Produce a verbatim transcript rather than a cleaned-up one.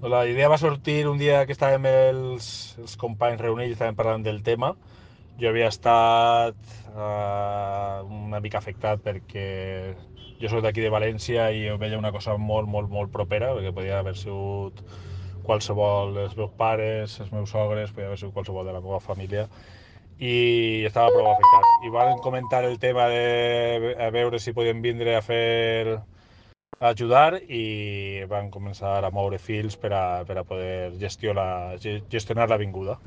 La idea va sortir un dia que estàvem els, els companys reunits i estàvem parlant del tema. Jo havia estat uh, una mica afectat perquè jo soc d'aquí de València i ho veia una cosa molt, molt, molt propera, perquè podia haver sigut qualsevol dels meus pares, els meus sogres, podia haver sigut qualsevol de la meva família i estava prou afectat. I van comentar el tema de a veure si podien vindre a fer a ajudar i van començar a moure fils per a, per a poder gestionar, gestionar l'avinguda.